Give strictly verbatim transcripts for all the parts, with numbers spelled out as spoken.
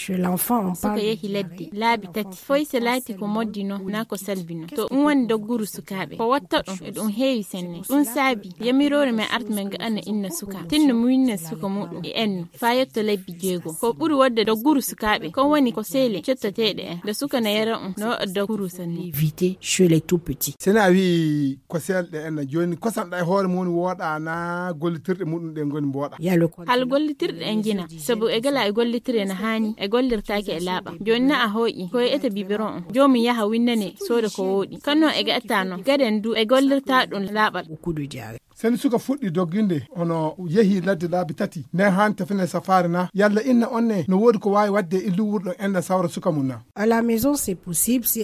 Suka yehi ladde laabi tati, foy se laati ko moddi no naa ko salbi no. To ɗum woni dogguru sukaaɓe ko watta ɗum e ɗum heewi senne. Ɗum saabi yamiroore men arta men gaɗana inna suka tinno muñna suka muɗum e enno faa yetto lebbi jeego. Ko ɓuri wodde dogguru sukaaɓe kon woni ko seele cettoteeɗe en nde suka na yara ɗum no waɗa dogguru sanne. Éviter chez les tout petits. Sene a wii ko seelɗe en na jooni kosanɗa e hoore mum wooɗa na gollitirɗe muɗum ɗe ngoni mbooɗa. Hal gollitirɗe en njina sabu e gala e gollitire na haani e gollirtaake e laaɓa. Jooni na a hooƴi ko e ete biberon on joomum yaha winnane sooda ko wooɗi kanno e gaɗata no gaden du e gollirta ɗum laaɓal. Sene suka fuɗɗi dogginde hono yehi ladde laabi tati nden haani tafine safaare na yalla inna on ne no woodi ko waawi waɗde e illu wuro ɗon enɗan sawra suka mum na?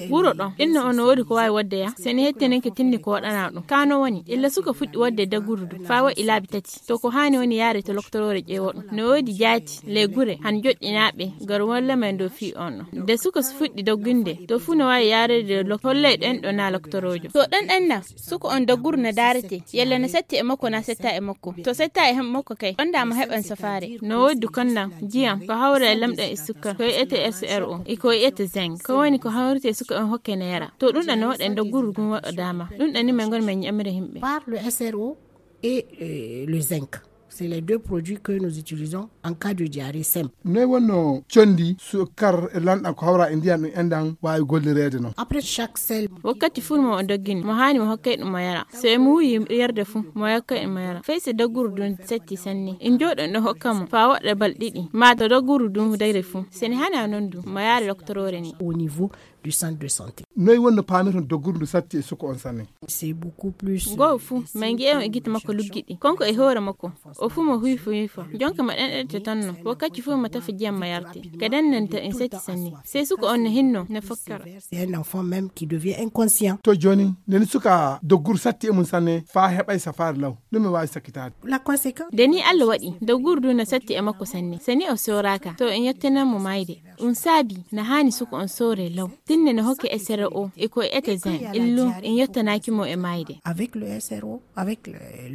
Wuro ɗon inna on no woodi ko waawi waɗde ya sene hettenenke tinni ko waɗana ɗum kano woni illa suka fuɗɗi waɗde dagguru du faa waɗi laabi tati to ko haani woni yaare to loktoroore ƴeewa ɗum no woodi jaati ley gure han joɗɗinaaɓe gar walla men dow fii on ɗon nde suka fuɗɗi dogginde to fuu no waawi yaarede holley ɗen ɗo na loktoroojo to ɗen ɗen na suka on dagguru na daarete yalla na setti e makko na setta e makko to setta e makko kay ɗon da mo heɓan safaare. No woodi du kon nan jiyam ko hawra e lamɗam e sukkar ko wi'ete sro e ko wi'ete zinc ko woni ko hawrete suka on hokke na yara to ɗum ɗan no waɗa e dagguru ɗum waɗa dama ɗum ɗan ni men ngon men ƴamira yimɓe. Par le sro et le zinc, c'est les deux produits que nous utilisons en cas de diarrhée simple. Noy wonno condi sukkar e lanɗan ko hawra e ndiyam ɗum enɗan waawi gollireede non? Après chaque sel. Wakkati fuu mo o doggini mo haani mo hokkay ɗum mo yara so e muuyi yarde fuu mo yokkay ɗum mo yara fay si dogguru dun setti sanne en jooɗon ɗo hokka mo faa waɗa bal ɗiɗi maa to dogguru dun dayre fuu seni hana non dun mo yaari loktoroore ni. Au niveau du centre de santé. Noy wonno paamirton dogguru ndu satti e suka on sanne? C'est beaucoup plus. Goo fuu ma ngi'e on e gite makko luggiɗi konko e hoore makko o fuu mo huyfa huyfa jonka ma ɗenɗete tonno wakkati fuu ma tafa jiyam ma yarte ka dennanta en setti sanne sey suka on no hinno no fokkara. C'est un enfant même qui devient inconscient. To jooni nde ni suka dogguru satti e mum sanne faa heɓay safaare law ɗum e waawi sakkitaade? La conséquence. Nde ni allah waɗi dogguru ndu no satti e makko sanne seni o sooraaka to en yettenan mo maayde. Ɗum saabi na haani suka on soore law tinne no hokke sro e ko e ete zin illu en yettanaaki mo e maayde. Avec le sro avec le